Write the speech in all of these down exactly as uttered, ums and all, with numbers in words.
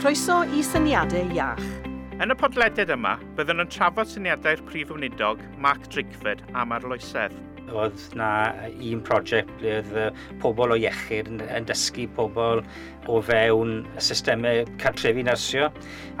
Croeso i Syniadau Iach. Yn y podlediad yma, byddwn yn trafod syniadau'r Prif Weinidog Mark Drakeford am arloesedd. Oedd na un prosiect ble oedd pobl o iechyd yn, yn dysgu pobl o fewn y systemau cartrefi nyrsio.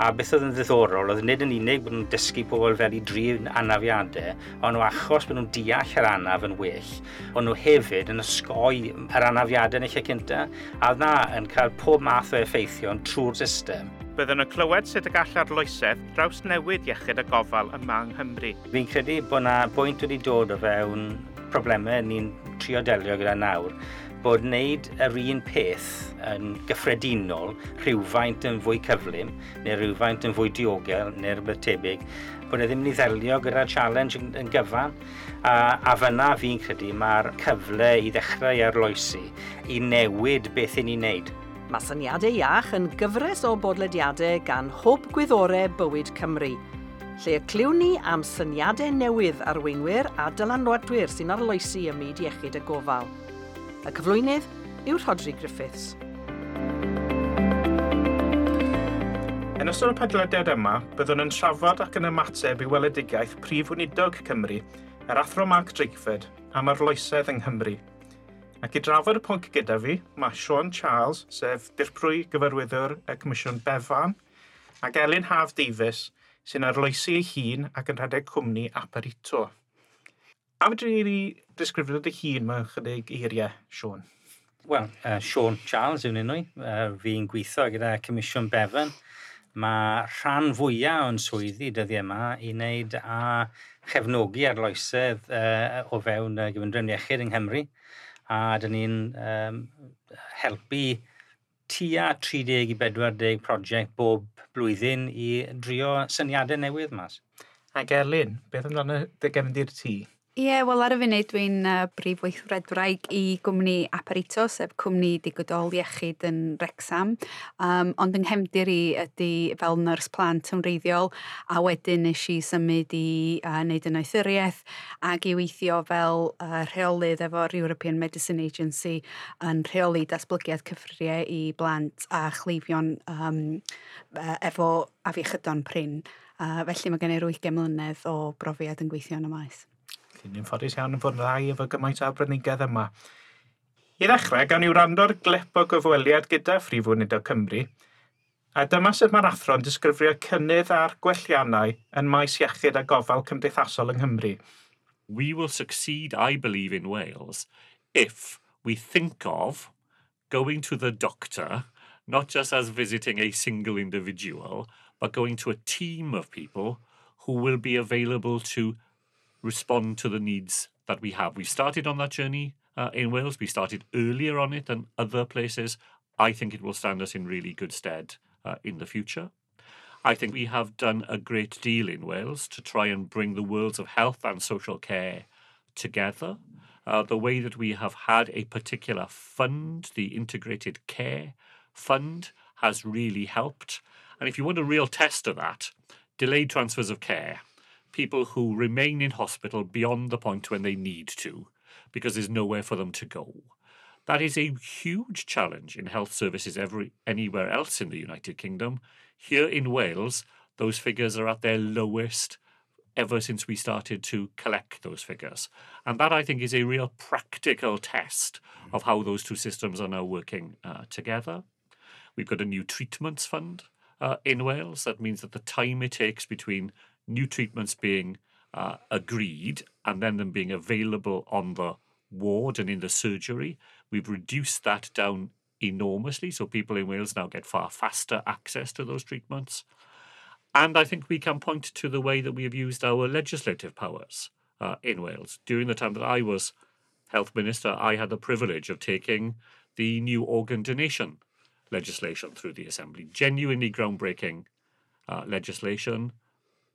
A beth oedd yn ddiddorol oedd nid yn unig bod nhw'n dysgu pobl fel i drin anafiadau, ond nhw achos bod nhw'n deall yr anaf yn well, ond nhw hefyd yn osgoi yr anafiadau yn y lle cyntaf, a oedd na yn cael pob math o effeithion trwy'r system. Byddwn yn clywed sut y gall arloesedd drawsnewid iechyd a gofal yma yng Nghymru. Fi'n credu bod na bwynt wedi dod o fewn problemau ni'n trio delio gyda nawr, bod wneud yr un peth yn gyffredinol, rhywfaint yn fwy cyflym, neu rhywfaint yn fwy diogel, neu rhywbeth tebyg, bod e ddim yn ei ddelio gyda'r challenge yn, yn gyfan. A, a fyna fi'n credu mae'r cyfle i ddechrau arloesi, i newid beth i ni'n neud. Mae Syniadau Iach yn gyfres o bodlediadau gan Hwb Gwyddorau Bywyd Cymru, lle y clywn ni am syniadau newydd arweinwyr a dylanwadwyr sy'n arloesi ym myd iechyd a gofal. Y cyflwynydd yw Rhodri Griffiths. Yn ystod y podlediad yma, byddwn yn trafod ac yn ymateb i weledigaeth Prif Weinidog Cymru, yr Athro Mark Drakeford, am arloesedd yng Nghymru. Ac i drafod y pwnc gyda fi, mae Siôn Charles, sef Dirprwy Gyfarwyddwr y Comisiwn Bevan, ac Elin Haf Davies, sy'n arloesi ei hun ac yn rhedeg cwmni Aparito. A fedri di disgrifio dy hun mewn chydig eiriau, Siôn? Wel, uh, Siôn Charles yw'n enw i. Uh, fi'n gweithio gyda Comisiwn Bevan. Mae rhan fwyaf o'n swyddi dyddiau yma i wneud â chefnogi arloesedd uh, o fewn y gyfundrefn iechyd yng Nghymru. A dyn ni'n um, helpu tua tri deg i bedwar deg prosiect bob blwyddyn i drio syniadau newydd mas. Ac Elin, beth amdano dy gefndir ti? Ie, yeah, wel ar y funud dwi'n uh, brif weithredwraig i gwmni Aparito, sef cwmni digidol iechyd yn Wrecsam. Um, ond yng nghefndir i ydy fel nyrs plant yn wreiddiol, a wedyn nes i symud i uh, wneud y noethuriaeth ac i weithio fel uh, rheolydd efo'r European Medicine Agency yn rheoli datblygiad cyffuriau i blant a chleifion um, efo afiechydon prin. Uh, felly mae gen i wyth mlynedd o brofiad yn gweithio yn y maes. Ni'n ffodus iawn yn fod yn ddau efo gymaint o arbenigedd yma. I ddechrau, gawn ni wrando'r glip o gyfweliad gyda Phrif Weinidog Cymru, a dyma sut mae'r athro'n disgrifio cynnydd a'r gwelliannau yn maes iechyd a gofal cymdeithasol yng Nghymru. We will succeed, I believe, in Wales if we think of going to the doctor not just as visiting a single individual, but going to a team of people who will be available to respond to the needs that we have. We started on that journey uh, in Wales. We started earlier on it than other places. I think it will stand us in really good stead uh, in the future. I think we have done a great deal in Wales to try and bring the worlds of health and social care together. Uh, the way that we have had a particular fund, the Integrated Care Fund, has really helped. And if you want a real test of that, delayed transfers of care, people who remain in hospital beyond the point when they need to, because there's nowhere for them to go. That is a huge challenge in health services every, anywhere else in the United Kingdom. Here in Wales, those figures are at their lowest ever since we started to collect those figures. And that, I think, is a real practical test of how those two systems are now working uh, together. We've got a new treatments fund uh, in Wales. That means that the time it takes between new treatments being uh, agreed and then them being available on the ward and in the surgery, we've reduced that down enormously. So people in Wales now get far faster access to those treatments. And I think we can point to the way that we have used our legislative powers uh, in Wales. During the time that I was health minister, I had the privilege of taking the new organ donation legislation through the Assembly. Genuinely groundbreaking uh, legislation,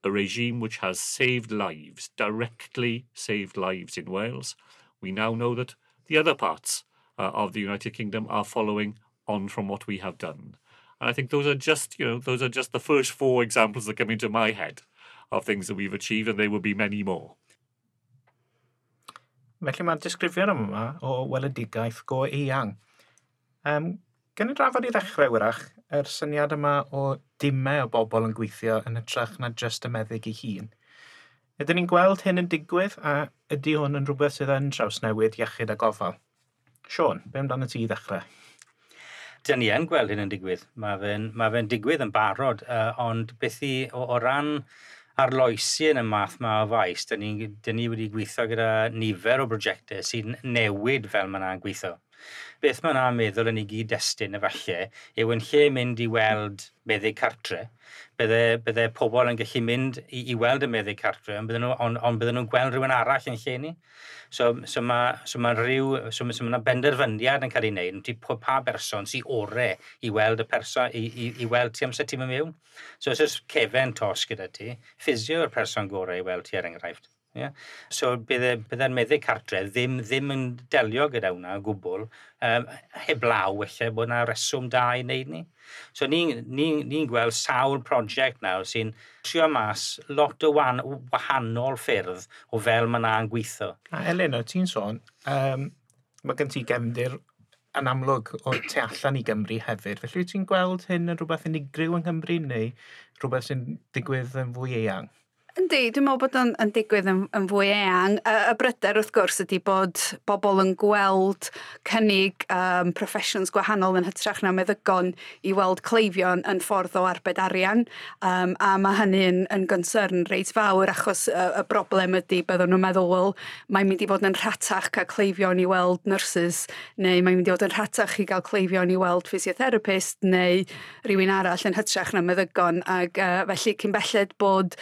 a regime which has saved lives, directly saved lives in Wales. We now know that the other parts uh, of the United Kingdom are following on from what we have done. And I think those are just, you know, those are just the first four examples that come into my head of things that we've achieved, and there will be many more. Felly mae'r disgrifiad yma o weledigaeth go eang. Um, Gan i drafod i ddechrau wrach, yr syniad yma o dimau o bobl yn gweithio yn hytrach na jyst y meddyg ei hun. Ydyn ni'n gweld hyn yn digwydd a ydy hwn yn rhywbeth sydd yn trawsnewid iechyd a gofal? Siôn, be amdano ti i ddechrau? Dyn ni yn gweld hyn yn digwydd. Mae fe'n ma fe digwydd yn barod, uh, ond beth i, o, o ran arloesi yn y math ma o faes, dyn ni, dyn ni wedi gweithio gyda nifer o brosiectau sy'n newid fel mae yna'n gweithio. Beth mae yna'n meddwl yn ei gyd-destun efallai yw yn lle mynd i weld meddyg cartre, bydde, bydde pobl yn gallu mynd i, i weld y meddyg cartre, ond bydden nhw, on, ond bydden nhw'n gweld rhywun arall yn lle ni. So, so mae so ma rhyw, so, so ma benderfyniad yn cael ei wneud, ti pa berson sy'n ore i weld y person, i, i, i weld ti amser ti'n mynd mewn. So os oes cefen tos gyda ti, ffisio yw'r person gorau i weld ti er enghraifft. Yeah? So bydde, bydde'r meddyg cartre ddim, ddim yn delio gyda hwnna o gwbl, um, heblaw felly bod yna reswm da i wneud ni. So ni'n ni, ni gweld sawl prosiect nawr sy'n trio mas lot o wan, wahanol ffyrdd o fel mae yna'n gweithio. A Elin, o ti'n sôn, um, mae gen ti gefndir yn amlwg o tu allan i Gymru hefyd. Felly wyt ti'n gweld hyn yn rhywbeth unigryw yng Nghymru neu rhywbeth sy'n digwydd yn fwy eang? Yndi, dwi'n meddwl bod o'n yn digwydd yn, yn fwy eang. Y, y bryder wrth gwrs ydy bod bobl yn gweld cynnig um, professions gwahanol yn hytrach na meddygon i weld cleifion yn ffordd o arbed arian. Um, a mae hynny yn, yn concern reit fawr achos y, y broblem ydy byddwn nhw'n meddwl, wel, mae'n mynd i fod yn rhatach cael cleifion i weld nurses, neu mae'n mynd i fod yn rhatach i gael cleifion i weld physiotherapist neu rhywun arall yn hytrach na meddygon. Ac uh, felly cyn belled bod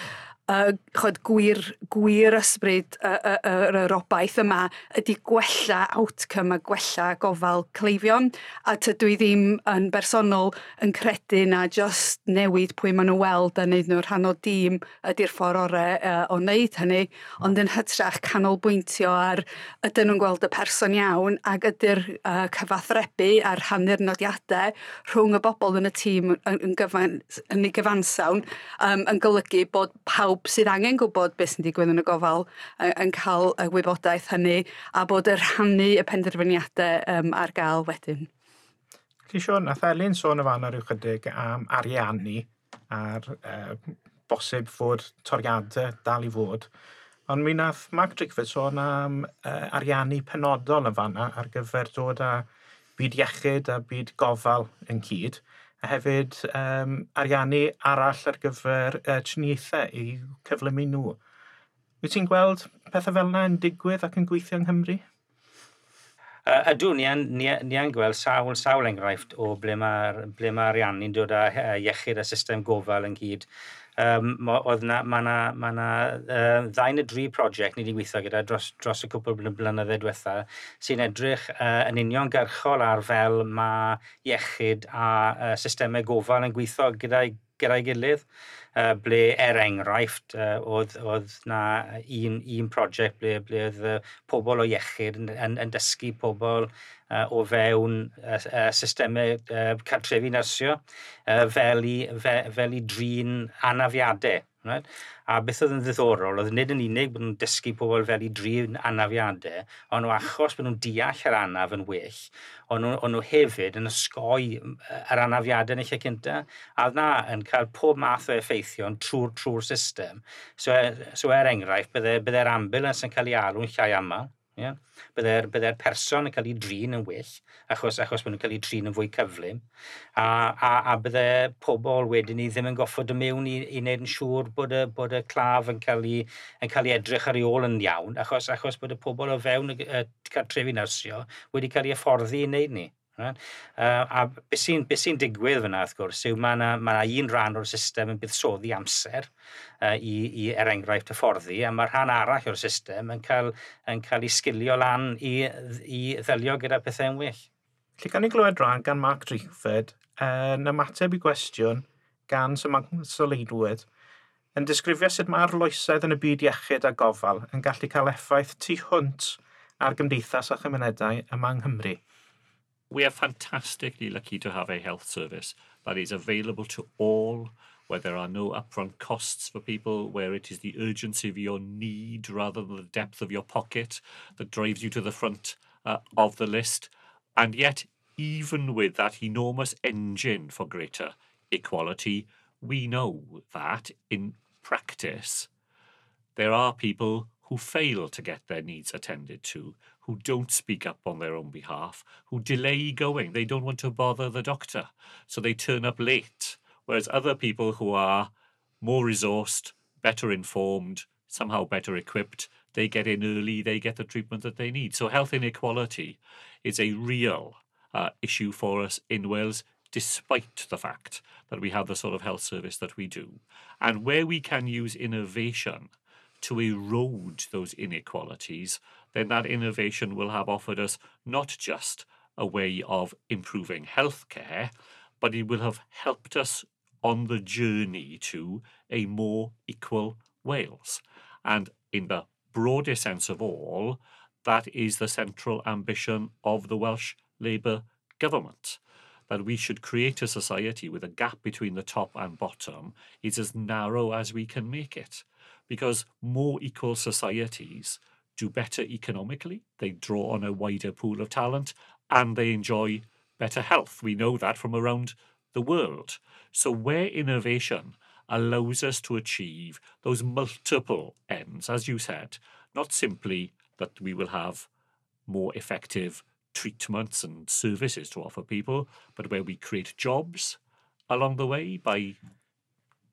uh, chod, gwir, gwir ysbryd y, y, y, yr obaith yma ydy gwella outcome a gwella gofal cleifion. A tydw i ddim yn bersonol yn credu na just newid pwy maen nhw weld a wneud nhw rhan o dîm ydy'r ffordd orau uh, o wneud hynny, ond yn hytrach canolbwyntio ar ydyn nhw'n gweld y person iawn ac ydy'r uh, cyfathrebu a'r rhannu'r nodiadau rhwng y bobl yn y tîm yn, yn, gyfan, yn ei gyfansawn um, yn golygu bod pawb sydd angen gwybod beth sy'n digwydd yn y gofal yn, yn cael y wybodaeth hynny a bod y rhannu y penderfyniadau um, ar gael wedyn. Felly Siôn, nath Elin sôn y fan ar ryw chydig am ariannu a'r uh, bosib fod toriadau dal i fod. Ond mi nath Mark Drakeford sôn am uh, ariannu penodol yn fanna ar gyfer dod â byd iechyd a byd gofal yn cyd, a hefyd um, ariannu arall ar gyfer uh, triniaethau i cyflymu nhw. Wyt ti'n gweld pethau fel yna yn digwydd ac yn gweithio yng Nghymru? Uh, ydw, ni yn, ni, ni yn gweld sawl, sawl enghraifft o ble mae'r ble mae ariannu'n dod â iechyd a system gofal ynghyd. Um, oedd na, mae na, ma na uh, ddau neu dri prosiect ni wedi gweithio gyda dros, dros y cwpl blynyddoedd diwetha sy'n edrych uh, yn uniongyrchol ar fel mae iechyd a uh, systemau gofal yn gweithio gyda'i gyda'i gilydd, uh, ble er enghraifft uh, oedd, oedd na un, un prosiect ble, ble oedd uh, pobl o iechyd yn, yn, yn dysgu pobl uh, o fewn uh, uh, systemau uh, cartrefi nyrsio uh, fel, i, fe, fel i drin anafiadau. Right? A beth oedd yn ddiddorol, oedd nid yn unig bod nhw'n dysgu pobl fel i drin anafiadau, ond o achos bod nhw'n deall yr anaf yn well, ond nhw, ond nhw hefyd yn osgoi yr anafiadau yn y lle cyntaf, a oedd na yn cael pob math o effeithion trwy'r trwy'r system. So, so er enghraifft, bydde, bydde'r ambulance yn cael ei alw'n llai aml. Yeah? Bydde'r bydde person yn cael ei drin yn well, achos, achos bod nhw'n cael ei drin yn fwy cyflym. A, a, a bydde pobl wedyn ni ddim yn goffod y mewn i, i wneud yn siŵr bod y, bod y claf yn cael ei, yn cael ei edrych ar ei ôl yn iawn, achos, achos bod y pobl o fewn y, y cartrefi nyrsio wedi cael ei hyfforddi i wneud ni. Right? Uh, a beth sy'n be sy digwydd fyna, wrth gwrs, yw mae yna ma un rhan o'r system yn buddsoddi amser uh, i, i, er enghraifft, hyfforddi, a mae rhan arall o'r system yn cael, yn cael ei sgilio lan i, i ddelio gyda pethau'n well. Lle gan i glywed rhan gan Mark Drakeford yn ymateb i gwestiwn gan Sir Leidwood yn disgrifio sut mae arloesedd yn y byd iechyd a gofal yn gallu cael effaith tu hwnt ar gymdeithas a chymunedau yma yng Nghymru. We are fantastically lucky to have a health service that is available to all, where there are no upfront costs for people, where it is the urgency of your need rather than the depth of your pocket that drives you to the front uh, of the list. And yet, even with that enormous engine for greater equality, we know that in practice, there are people who fail to get their needs attended to, who don't speak up on their own behalf, who delay going. They don't want to bother the doctor, so they turn up late. Whereas other people who are more resourced, better informed, somehow better equipped, they get in early, they get the treatment that they need. So health inequality is a real uh, issue for us in Wales, despite the fact that we have the sort of health service that we do. And where we can use innovation to erode those inequalities, then that innovation will have offered us not just a way of improving healthcare, but it will have helped us on the journey to a more equal Wales. And in the broadest sense of all, that is the central ambition of the Welsh Labour government, that we should create a society with a gap between the top and bottom is as narrow as we can make it. Because more equal societies do better economically, they draw on a wider pool of talent, and they enjoy better health. We know that from around the world. So where innovation allows us to achieve those multiple ends, as you said, not simply that we will have more effective treatments and services to offer people, but where we create jobs along the way by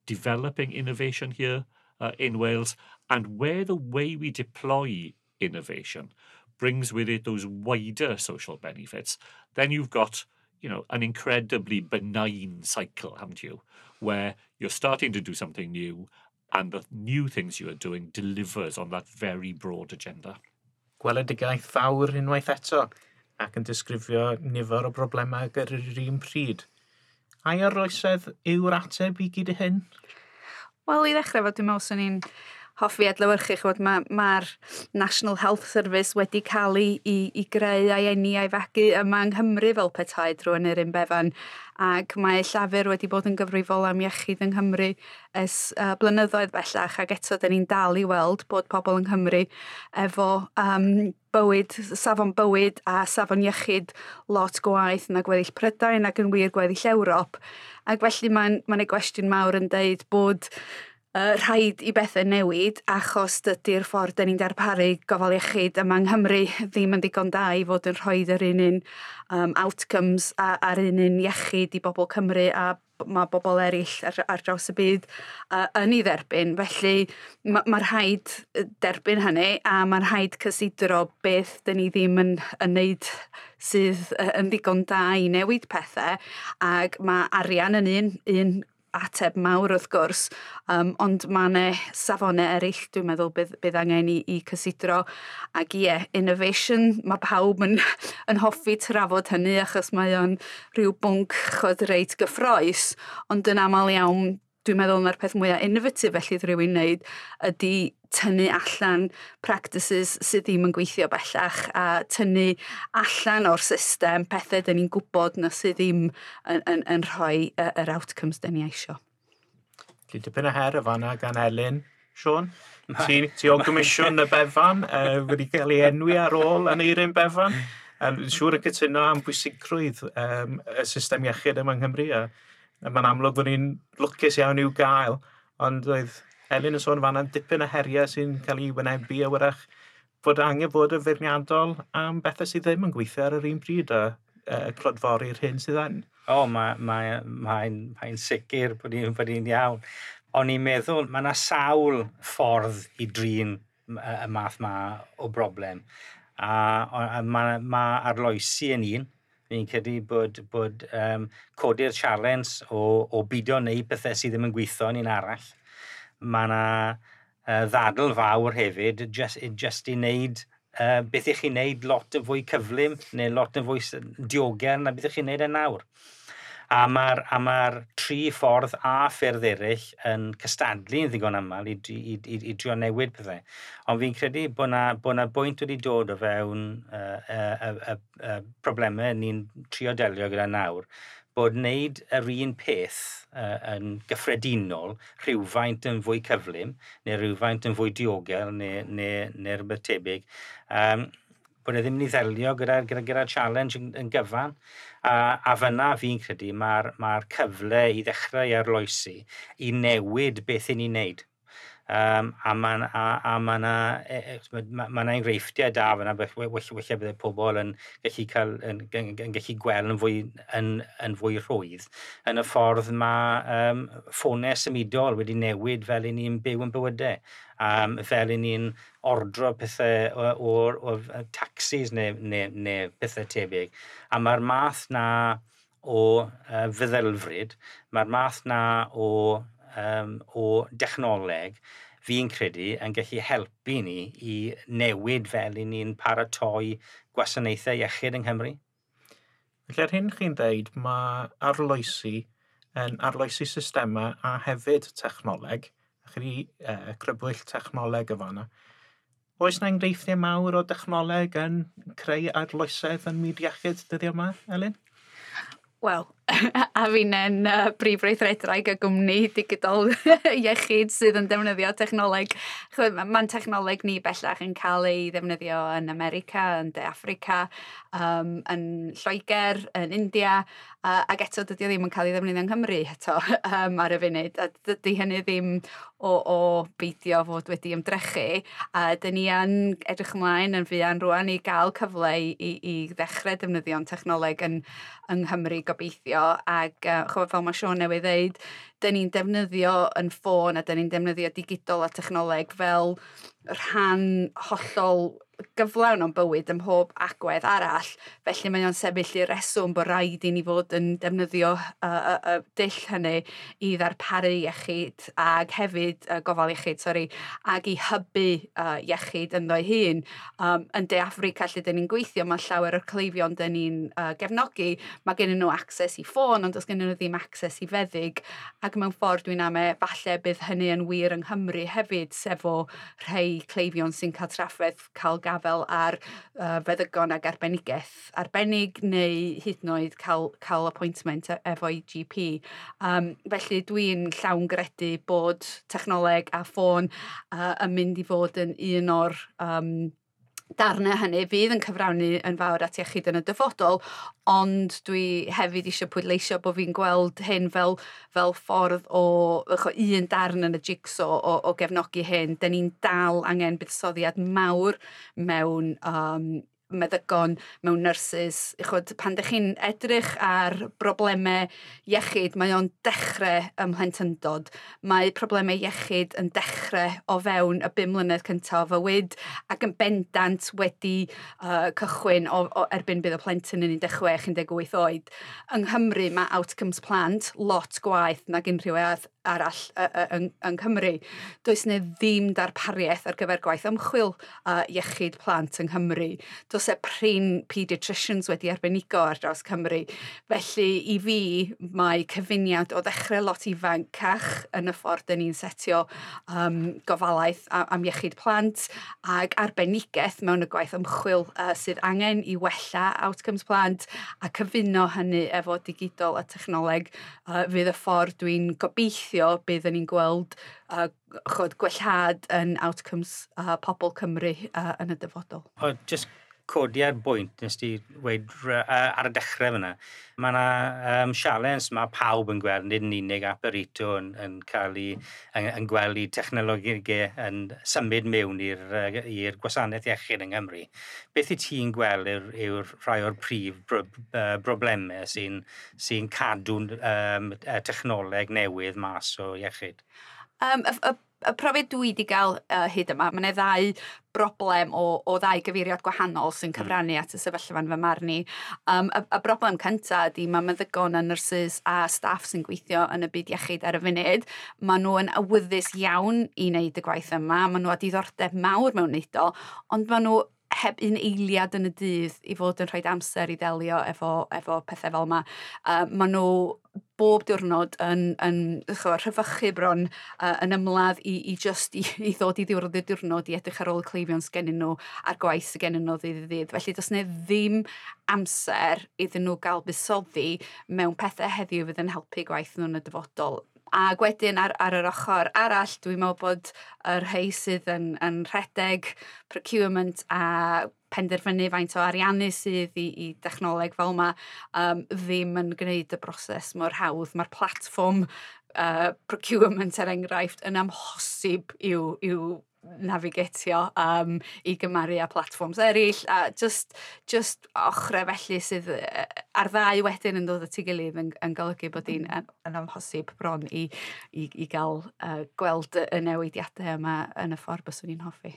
developing innovation here uh, in Wales, and where the way we deploy innovation brings with it those wider social benefits, then you've got, you know, an incredibly benign cycle, haven't you? Where you're starting to do something new, and the new things you are doing delivers on that very broad agenda. Gweledigaeth fawr unwaith eto, ac yn disgrifio nifer o broblemau ar yr un pryd. Ai arloesedd yw'r ateb i gyd i hyn? Wel, i ddechrau fo, dwi'n meddwl swn i'n hoffi adlewyrchu, ch'mod, mae'r ma National Health Service wedi cael ei, i, i greu a'i eni a'i fagu yma yng Nghymru fel petai drwy Aneurin Bevan, ac mae Llafur wedi bod yn gyfrifol am iechyd yng Nghymru ers uh, blynyddoedd bellach, ac eto dyn ni'n dal i weld bod pobl yng Nghymru efo um, bywyd, safon bywyd a safon iechyd lot gwaeth na gweddill Prydain ac yn wir gweddill Ewrop. Ac felly mae'n mae gwestiwn mawr yn deud bod uh, rhaid i bethau newid achos dydy'r ffordd dyn ni'n darparu gofal iechyd yma yng Nghymru ddim yn ddigon da i fod yn rhoi yr un un um, outcomes a, a'r un un iechyd i bobl Cymru a mae bobl eraill ar, ar draws y byd uh, yn ei dderbyn. Felly mae ma rhaid derbyn hynny a mae rhaid cysidro beth dyn ni ddim yn, yn neud sydd yn ddigon da i newid pethau, ac mae arian yn un, un ateb mawr wrth gwrs, um, ond mae yna safonau eraill dwi'n meddwl bydd, bydd angen i, i cysidro. Ac ie, innovation, mae pawb yn, yn hoffi trafod hynny achos mae o'n rhyw bwnc chod reit gyffrous, ond yn aml iawn dwi'n meddwl mae'r peth mwyaf innovative felly rhywun wneud ydy tynnu allan practices sydd ddim yn gweithio bellach a tynnu allan o'r system pethau dyn ni'n gwybod na sydd ddim yn, yn, yn rhoi yr outcomes dyn ni eisio. Felly dipyn o her y fanna gan Elin. Siôn, ti, ti o Gomisiwn y Bevan, uh, wedi cael ei enwi ar ôl Aneurin Bevan. Um, siŵr yn cytuno am bwysigrwydd um, y system iechyd yma yng Nghymru. A, a mae'n amlwg bod ni'n lwcus iawn i'w gael, ond oedd Elin yn sôn fanna dipyn o heriau sy'n cael ei wynebu a wrach bod angen bod yn feirniadol am bethau sydd ddim yn gweithio ar yr un pryd a uh, clodfori'r hyn sydd yn. O, mae'n mae, mae, mae sicr bod hi'n bod hi'n iawn. O'n i'n meddwl, mae yna sawl ffordd i drin y math ma o broblem. A, a mae ma arloesi yn un. Fi'n credu bod, bod um, codi'r challenge o, o bido neu pethau sydd ddim yn gweithio yn un arall. Mae yna uh, ddadl fawr hefyd, just, just i wneud uh, beth ych chi'n wneud lot yn fwy cyflym neu lot yn fwy diogel na beth ych chi'n wneud yn nawr. A mae'r ma tri ffordd a ffyrdd eraill yn cystadlu yn ddigon aml i, i, i, i drio newid pethau. Ond fi'n credu bod na, bod na bwynt wedi dod o fewn uh, uh, uh, uh, problemau ni'n trio delio gyda nawr, bod wneud yr un peth uh, yn gyffredinol rhywfaint yn fwy cyflym, neu rhywfaint yn fwy diogel, neu, neu, neu rhywbeth tebyg, um, bod e ddim yn ei ddelio gyda, gyda, gyda challenge yn, yn gyfan. A, a fyna fi'n credu mae'r mae cyfle i ddechrau arloesi i newid beth i ni'n neud. Um, a mae a, a ma 'na ma, ma enghreifftiau da fyna, weithiau bydde pobl yn gallu, cael, yn, yn, yn gallu gweld yn fwy, yn, yn fwy rhwydd. Yn y ffordd mae um, ffonau symudol wedi newid fel i ni'n byw yn bywydau. Um, fel i ni'n ordro pethau o'r, o, o taxis neu, neu, neu pethau tebyg. A mae'r math na o uh, feddylfryd, mae'r math na o um, o dechnoleg, fi'n credu yn gallu helpu ni i newid fel i ni'n paratoi gwasanaethau iechyd yng Nghymru. Felly ar hyn chi'n dweud, mae arloesi yn arloesi systemau a hefyd technoleg, a chi wedi uh, crybwyll technoleg y fanna. Oes na enghreifftiau mawr o dechnoleg yn creu arloesedd yn myd iechyd dyddiau yma, Elin? Wel, a fi'n uh, brif weithredwraig y gwmni digidol iechyd sydd yn defnyddio technoleg. Mae'n technoleg ni bellach yn cael ei ddefnyddio yn America, yn De Affrica, um, yn Lloegr, yn India, uh, ac eto dydy o ddim yn cael ei ddefnyddio yng Nghymru eto um, ar y funud. A dydy hynny ddim o, o beidio fod wedi ymdrechu. A dyn ni yn edrych ymlaen yn fuan rwan i gael cyfle i, i, i ddechrau defnyddio'n technoleg yn, yng Nghymru gobeithio. Ac uh, ch'mod, fel mae Siôn newydd ddeud, dyn ni'n defnyddio yn ffôn a dyn ni'n defnyddio digidol a technoleg fel rhan hollol gyflawn o'n bywyd ym mhob agwedd arall. Felly mae o'n sefyll i reswm bod rhaid i ni fod yn defnyddio y uh, uh, uh, dull hynny i ddarparu iechyd ag hefyd uh, gofal iechyd, sori, ag i hybu uh, iechyd ynddo'i hun. Um, yn De Affrica lle dyn ni'n gweithio, mae llawer o'r cleifion dyn ni'n uh, gefnogi, mae gen nhw access i ffôn, ond does gen nhw ddim access i feddyg, ac mewn ffordd dwi'n ame falle bydd hynny yn wir yng Nghymru hefyd, sef o rhai cleifion sy'n cael trafferth cael gafel ar uh, feddygon ag arbenigaeth arbennig neu hyd yn oed cael, cael appointment e-, efo'i G P. Um, felly dwi'n llawn gredu bod technoleg a ffôn uh, yn mynd i fod yn un o'r um, darnau hynny fydd yn cyfrannu yn fawr at iechyd yn y dyfodol, ond dwi hefyd eisiau pwydleisio bod fi'n gweld hyn fel, fel ffordd o, o un darn yn y jigsaw o, o gefnogi hyn. Dyn ni'n dal angen buddsoddiad mawr mewn um, meddygon, mewn nyrsys. Ch'od, pan dych chi'n edrych ar broblemau iechyd, mae o'n dechrau ym mhlentyndod. Mae problemau iechyd yn dechrau o fewn y bum mlynedd cyntaf o fywyd ac yn bendant wedi uh, cychwyn o, o erbyn bydd y plentyn yn un deg chwech, un deg wyth oed. Yng Nghymru mae outcomes plant lot gwaeth nag unrhyw arall yng, yng Nghymru. Does 'na ddim darpariaeth ar gyfer gwaith ymchwil uh, iechyd plant yng Nghymru. Does e prin paediatricians wedi arbenigo ar draws Cymru. Felly i fi mae cyfuniad o ddechrau lot ifancach yn y ffordd dyn ni'n setio um, gofalaeth am iechyd plant ac arbenigaeth mewn y gwaith ymchwil uh, sydd angen i wella outcomes plant a cyfuno hynny efo digidol a technoleg uh, fydd y ffordd dwi'n gobeithio bydd ni'n gweld uh, chod, gwellhad yn outcomes uh, pobl Cymru uh, yn y dyfodol. O, just codi ar bwynt nes ti weud ar y dechrau fyna. Mae yna um, sialens mae pawb yn gweld, nid yn unig Aparito yn, yn, cael ei, yn, yn gweld i technolegau yn symud mewn i'r gwasanaeth iechyd yng Nghymru. Beth i ti'n gweld yw'r yw rhai o'r prif bro, broblemau sy'n sy cadw um, technoleg newydd mas o iechyd? Um, y, y, y profiad dwi wedi gael uh, hyd yma, mae yna ddau broblem o, o ddau gyfeiriad gwahanol sy'n cyfrannu at y sefyllfa yn fy marn i. Um, y, y broblem cyntaf ydy mae meddygon a nyrsys a staff sy'n gweithio yn y byd iechyd ar y funud, maen nhw yn awyddus iawn i wneud y gwaith yma, maen nhw â diddordeb mawr mewn wneud o, ond maen nhw heb un eiliad yn y dydd i fod yn rhoi amser i ddelio efo, efo pethau fel yma. Uh, maen nhw bob diwrnod yn, yn ch'o, rhyfychu bron uh, yn ymladd i, i just i, i ddod i ddiwrnod y diwrnod i edrych ar ôl y cleifion sgennyn nhw a'r gwaith sydd gennyn nhw ddydd i ddydd. Felly does 'na ddim amser iddyn nhw gael buddsoddi mewn pethau heddiw fydd yn helpu gwaith nhw yn y dyfodol. Ac wedyn ar, ar yr ochr arall, dwi'n meddwl bod y rhai sydd yn, yn rhedeg procurement a penderfynu faint o ariannu sydd i, i dechnoleg fel yma um, ddim yn gwneud y broses mor hawdd. Mae'r platfform uh, procurement er enghraifft yn amhosib i'w, i'w navigatio um, i gymaru â platforms eraill a just, just ochrau felly sydd ar ddau wedyn yn dod at ei gilydd yn, yn golygu bod hi'n yn, yn amhosib bron i, i, i gael uh, gweld y newidiadau yma yn y ffordd byswn i'n hoffi.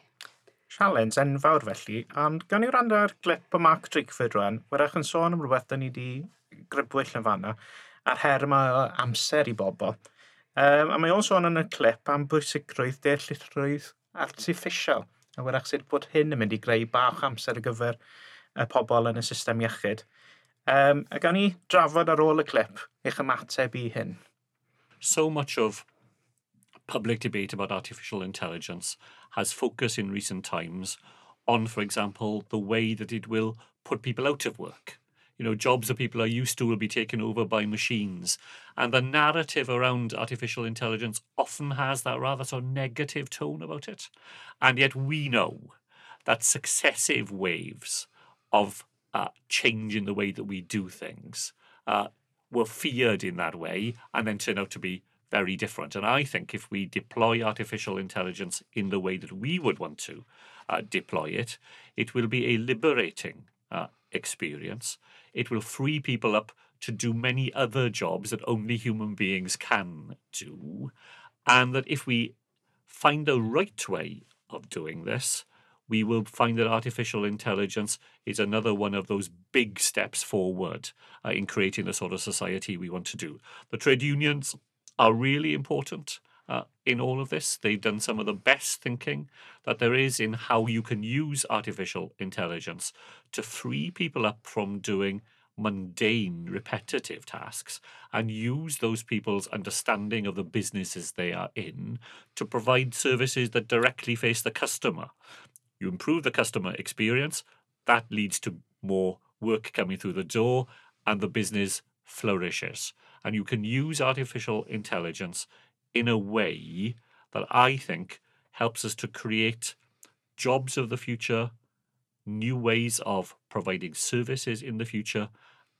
Sialens enfawr felly, ond gawn ni wrando ar glip o Mark Drakeford rwan, wrach yn sôn am rhywbeth da ni wedi grybwyll yn fanna, a'r her yma o amser i bobl. Um, a mae o'n sôn yn y clip am bwysigrwydd deallusrwydd artiffisial. A wrach sut bod hyn yn mynd i greu bach amser ar gyfer y pobl yn y system iechyd. Um, a gawn ni drafod ar ôl y clip eich ymateb i hyn. So much of public debate about artificial intelligence has focused in recent times on, for example, the way that it will put people out of work. You know, jobs that people are used to will be taken over by machines. And the narrative around artificial intelligence often has that rather sort of negative tone about it. And yet we know that successive waves of uh, change in the way that we do things uh, were feared in that way and then turn out to be very different. And I think if we deploy artificial intelligence in the way that we would want to uh, deploy it, it will be a liberating uh, experience. It will free people up to do many other jobs that only human beings can do. And that if we find the right way of doing this, we will find that artificial intelligence is another one of those big steps forward uh, in creating the sort of society we want to do. The trade unions are really important uh, in all of this. They've done some of the best thinking that there is in how you can use artificial intelligence to free people up from doing mundane, repetitive tasks and use those people's understanding of the businesses they are in to provide services that directly face the customer. You improve the customer experience, that leads to more work coming through the door, and the business flourishes. And you can use artificial intelligence in a way that I think helps us to create jobs of the future, new ways of providing services in the future,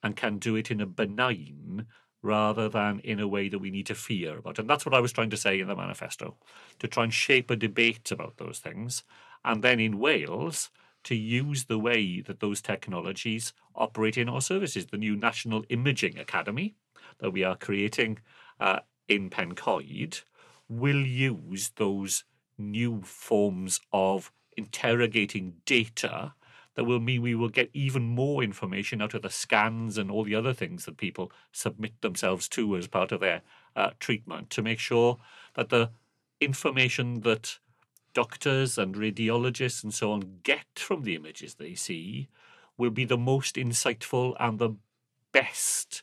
and can do it in a benign rather than in a way that we need to fear about. And that's what I was trying to say in the manifesto, to try and shape a debate about those things. And then in Wales, to use the way that those technologies operate in our services. The new National Imaging Academy that we are creating uh, in Pencoed will use those new forms of interrogating data that will mean we will get even more information out of the scans and all the other things that people submit themselves to as part of their uh, treatment, to make sure that the information that doctors and radiologists and so on get from the images they see will be the most insightful and the best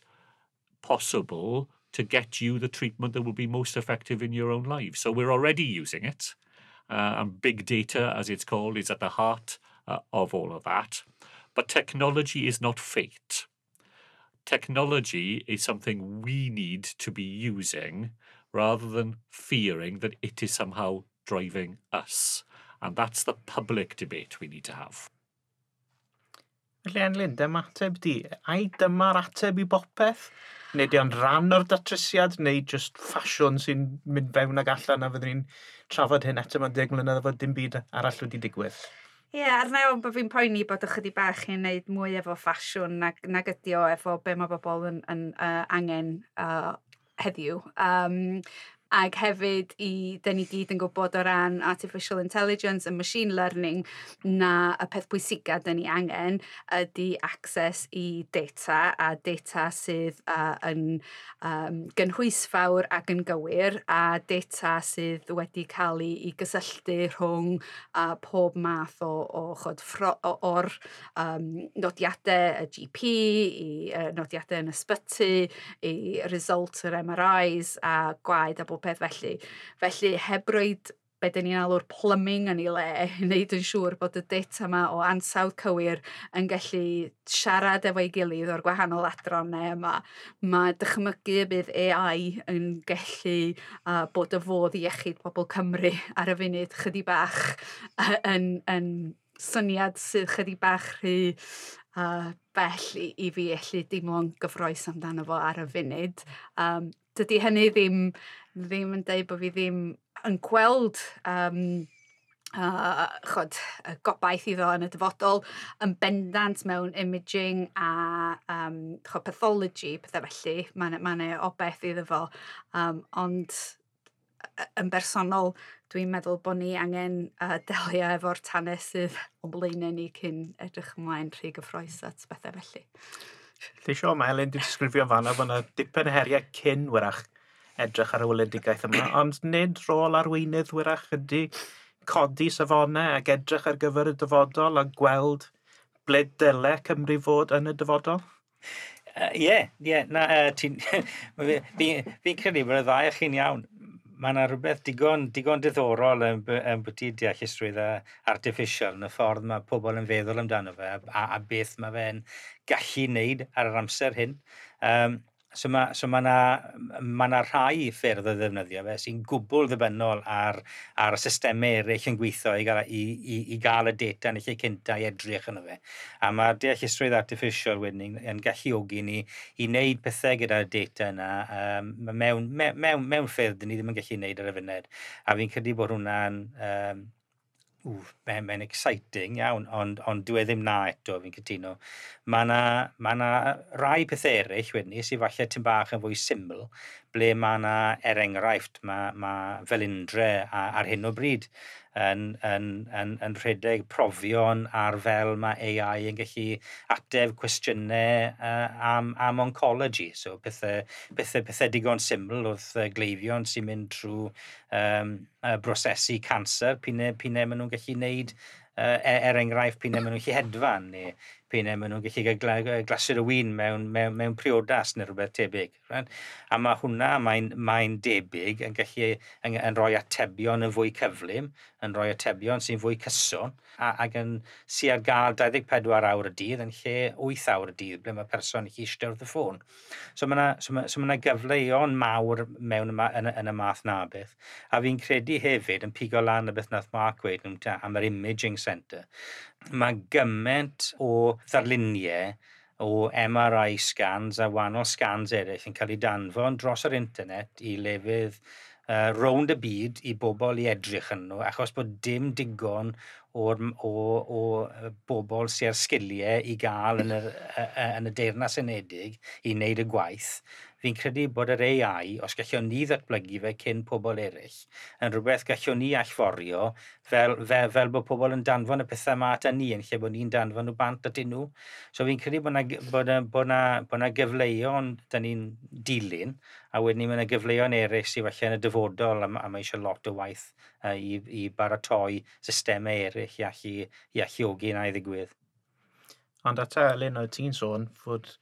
possible to get you the treatment that will be most effective in your own life. So we're already using it. Uh, and big data, as it's called, is at the heart uh, of all of that. But technology is not fate. Technology is something we need to be using rather than fearing that it is somehow driving us. And that's the public debate we need to have. Felly, Enlyn, dyma ateb di. Ai dyma'r ateb i bopeth? Neu di o'n rhan o'r datrysiad, neu just ffasiwn sy'n mynd fewn ag allan a fyddwn ni'n trafod hyn eto mewn deg mlynedd efo dim byd arall wedi digwydd? Ie, yeah, ar nawr bod fi'n poeni bod ychydig bach i'n neud mwy efo ffasiwn nag, nag ydi o efo be mae bobl yn, yn uh, angen uh, heddiw. Um, Ac hefyd, i, dyn ni gyd yn gwybod o ran artificial intelligence and machine learning na y peth pwysica dyn ni angen ydy access i data, a data sydd uh, yn um, gynhwysfawr ac yn gywir, a data sydd wedi cael ei, ei gysylltu rhwng uh, pob math o, o, chod, ffro, o, o'r um, nodiadau y G P, i uh, nodiadau yn ysbyty, i result yr M R Is a gwaed a bob peth felly. Felly, heb roed be dyn ni'n alw'r plumbing yn ei le, i wneud yn siŵr bod y data yma o ansawdd cywir yn gallu siarad efo'i gilydd o'r gwahanol adrannau yma. Mae dychmygu y bydd A I yn gallu uh, bod y fodd i iechyd pobl Cymru ar y funud chydig bach uh, yn, yn syniad sydd chydig bach rhy uh, bell i, i fi allu deimlo'n gyffrous amdano fo ar y funud. Um, dydy hynny ddim, ddim yn deud bod fi ddim yn gweld um, uh, chod, y gobaith iddo yn y dyfodol, yn bendant mewn imaging a um, chod, pathology, pethau felly, mae'n ma obaith iddo fo. Um, ond yn bersonol, dwi'n meddwl bod ni angen uh, delio efo'r tanau sydd o'n blaenau ni cyn edrych ymlaen rhy gyffrous at bethau felly. Lle sio, mae Helen wedi disgrifio fanna bod yna dipyn heriau cyn wyrach edrych ar y weledigaeth yma, ond nid rôl arweinydd wyrach ydy codi safonau ac edrych ar gyfer y dyfodol a gweld ble dyle Cymru fod yn y dyfodol? Ie, uh, ie, na, uh, ti'n... Fi'n fi credu bod y ddau o chi'n iawn. Mae yna rhywbeth digon, digon diddorol yn, yn bwyty deallusrwydd artificial yn y ffordd mae pobl yn feddwl amdano fe a, a beth mae fe'n gallu wneud ar yr amser hyn. Um, So mae so ma 'na, ma 'na rhai ffyrdd o ddefnyddio fe sy'n gwbl ddibynnol ar, ar y systemau eraill yn gweithio i gael, i, i, i gael y data yn y lle cynta i edrych yno fe. A mae'r deallusrwydd artificial wedyn yn, yn galluogi ni i wneud pethau gyda'r data yna um, mewn, mewn, mewn, mewn ffyrdd ni ddim yn gallu wneud ar y funud. A fi'n credu bod hwnna'n um, mae'n mae exciting iawn, ond, ond dwi e ddim na eto, fi'n cytuno. Mae yna ma na rai pethau eraill wedyn ni, sydd falle tipyn bach yn fwy syml, ble mae yna, er enghraifft, mae, ma Felindre ar hyn o bryd yn, yn, yn, yn rhedeg profion ar fel mae A I yn gallu ateb cwestiynau uh, am, am oncology. So pethau, pethau, pethau digon syml wrth uh, gleifion sy'n mynd trwy um, uh, brosesu canser, p'un p'un maen nhw'n gallu gwneud, uh, er enghraifft, p'un maen nhw'n gallu hedfan, neu p'un maen nhw'n gallu gael glasied o win mewn, mewn, mewn priodas neu rhywbeth tebyg. Right? A mae hwnna, mae'n mae debyg, yn gallu yn, yn rhoi atebion yn fwy cyflym, yn rhoi atebion sy'n fwy cyson, a, ac yn sy ar gael dau ddeg pedwar awr y dydd yn lle wyth awr y dydd, ble mae person yn eistedd wrth y ffôn. So mae yna so ma, so ma gyfleoedd mawr mewn yma, yn, yn y math na beth. A fi'n credu hefyd, yn pigo lan y beth nath Mark weud am yr imaging centre, mae gymaint o ddarluniau o M R I scans a wahanol scans eraill yn cael eu danfon dros yr internet i lefydd uh, rownd y byd i bobl i edrych yn nhw, achos bod dim digon o'r, o, o bobl sy'n ar sgiliau i gael yn y, yn y Deyrnas Unedig i wneud y gwaith. Fi'n credu bod yr A I, os gallwn ni ddatblygu fe cyn pobl eraill, yn rhywbeth gallwn ni allforio fel, fel, fel bod pobl yn danfon y pethau yma at ni yn lle bod ni'n danfon nhw bant atyn nhw. So fi'n credu bod na, bod na, bod na, bod na gyfleoedd da ni'n dilyn, a wedyn ni mae yna gyfleoedd eraill sydd falle yn y dyfodol, a, a mae eisiau lot o waith uh, i, i baratoi systemau eraill i allu, i alluogi na i ddigwydd. Ond eto, Elin, oedd ti'n sôn fod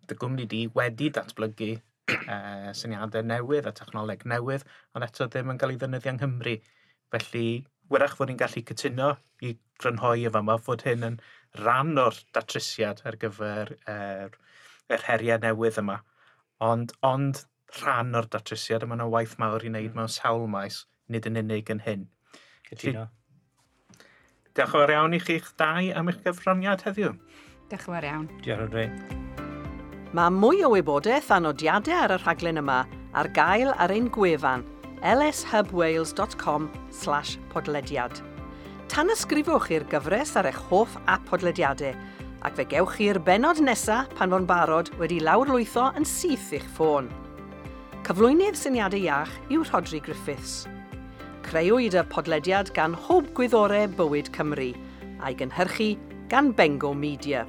dy gwmni di wedi datblygu uh, syniadau newydd a technoleg newydd, ond eto ddim yn cael ei ddefnyddio yng Nghymru. Felly, wyrach fod ni'n gallu cytuno i grynhoi y fama fod hyn yn rhan o'r datrysiad ar gyfer er, yr heriau newydd yma. Ond, ond rhan o'r datrysiad, a mae yna waith mawr i wneud mm. mewn sawl maes, nid yn unig yn hyn. Cytuno. Diolch yn fawr iawn i chi'ch dau am eich gyfraniad heddiw. Diolch yn fawr iawn. Diolch yn fawr. Mae mwy o wybodaeth a nodiadau ar y rhaglen yma ar gael ar ein gwefan lshubwales dot com slash podlediad. Tanysgrifwch i'r gyfres ar eich hoff app podlediadau ac fe gewch chi'r benod nesaf pan fo'n barod wedi lawrlwytho yn syth i'ch ffôn. Cyflwynydd Syniadau Iach yw Rhodri Griffiths. Creuwyd y podlediad gan Hwb Gwyddorau Bywyd Cymru a'i gynhyrchu gan Bengo Media.